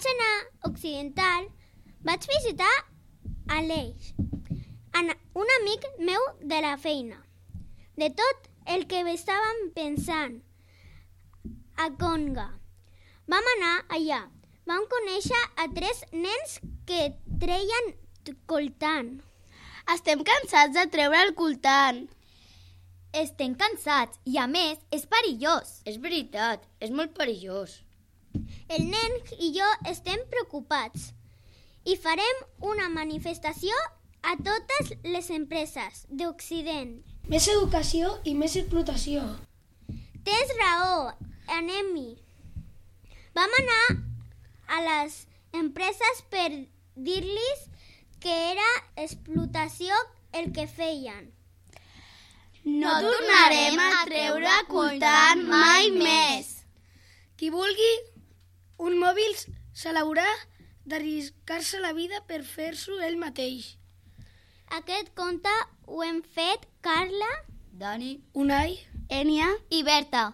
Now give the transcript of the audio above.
vaig anar a Occidental, vaig visitar Aleix, un amic meu de la feina. De tot el que estàvem pensant a Conga. Vam anar allà. Vam conèixer a 3 nens que treien coltant. Estem cansats de treure el coltant. Estem cansats i, a més, és perillós. És veritat, és molt perillós. El nen i jo estem preocupats i farem una manifestació a totes les empreses d'Occident. Més educació i més explotació. Tens raó, anem-hi. Vam anar a les empreses per dir-los que era explotació el que feien. No tornarem a treure coltant mai més. Qui vulgui un mòbil se l'haurà d'arriscar-se la vida per fer-s'ho ell mateix. Aquest conte ho hem fet Carla, Dani, Unai, Ènia I Berta.